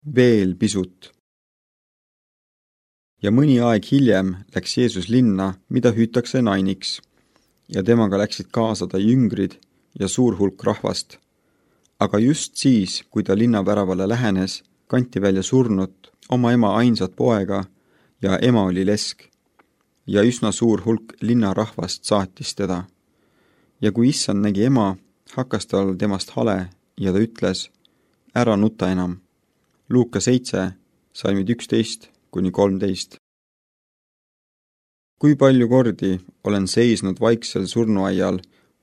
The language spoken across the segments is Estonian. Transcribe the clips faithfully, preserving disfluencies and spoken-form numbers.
Veel pisut. Ja mõni aeg hiljem läks Jeesus linna, mida hüütakse Nainiks, ja temaga läksid kaasa ta jüngrid ja suur hulk rahvast. Aga just siis, kui ta linnaväravale lähenes, kanti välja surnut, oma ema ainsat poega, ja ema oli lesk. Ja üsna suur hulk linnarahvast saatis teda. Ja kui issand nägi ema, hakkas tal temast hale ja ta ütles, ära nuta enam. Luuka seitse, salmid üksteist kuni kolmteist. Kui palju kordi olen seisnud vaiksel surnuaial,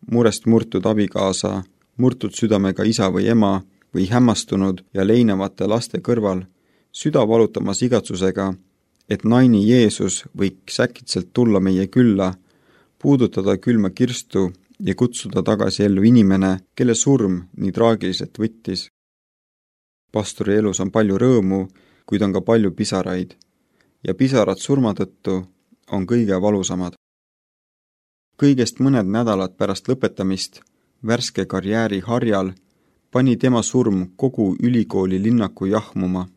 murest murtud abikaasa, murtud südamega isa või ema või hämmastunud ja leinavate laste kõrval, süda valutamas igatsusega, et naini Jeesus võiks äkitselt tulla meie külla, puudutada külma kirstu ja kutsuda tagasi ellu inimene, kelle surm nii traagiliselt võttis. Pastori elus on palju rõõmu, kuid on ka palju pisaraid, ja pisarad surma tõttu on kõige valusamad. Kõigest mõned nädalad pärast lõpetamist, värske karjääri harjal, pani tema surm kogu ülikooli linnaku jahmuma.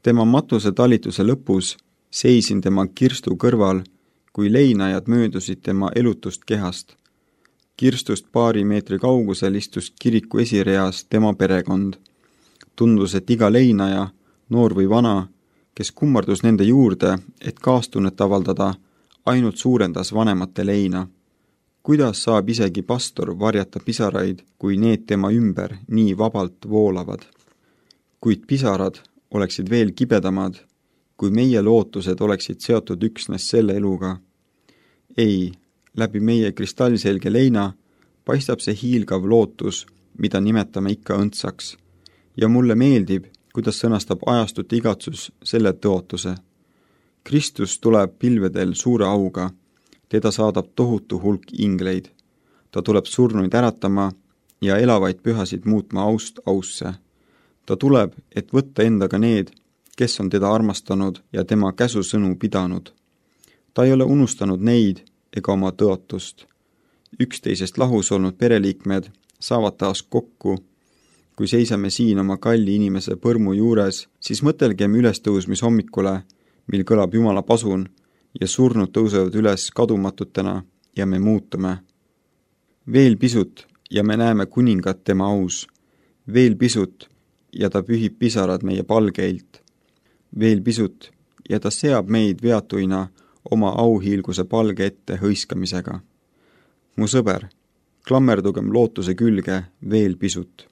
Tema matuse talituse lõpus seisin tema kirstu kõrval, kui leinajad möödusid tema elutust kehast. Kirstust paari meetri kaugusel istus kiriku esireas tema perekond. Tundus, et iga leinaja, noor või vana, kes kummardus nende juurde, et kaastunnet avaldada, ainult suurendas vanemate leina. Kuidas saab isegi pastor varjata pisaraid, kui need tema ümber nii vabalt voolavad? Kuid pisarad oleksid veel kibedamad, kui meie lootused oleksid seotud üksnes selle eluga. Ei, läbi meie kristallselge leina paistab see hiilgav lootus, mida nimetame ikka õndsaks. Ja mulle meeldib, kuidas sõnastab ajastut igatsus selle tõotuse. Kristus tuleb pilvedel suure auga, teda saadab tohutu hulk ingleid. Ta tuleb surnuid äratama ja elavaid pühasid muutma aust ausse. Ta tuleb, et võtta endaga need, kes on teda armastanud ja tema käsusõnu pidanud. Ta ei ole unustanud neid ega oma tõotust. Üksteisest lahus olnud pereliikmed saavad taas kokku. Kui seisame siin oma kalli inimese põrmu juures, siis mõtelgem ülestõusmishommikule, mil kõlab Jumala pasun ja surnud tõusevad üles kadumatutena ja me muutume. Veel pisut ja me näeme kuningat tema aus. Veel pisut ja ta pühib pisarad meie palgeilt. Veel pisut ja ta seab meid veatuina oma auhiilguse palge ette hõiskamisega. Mu sõber, klammerdugem lootuse külge veel pisut.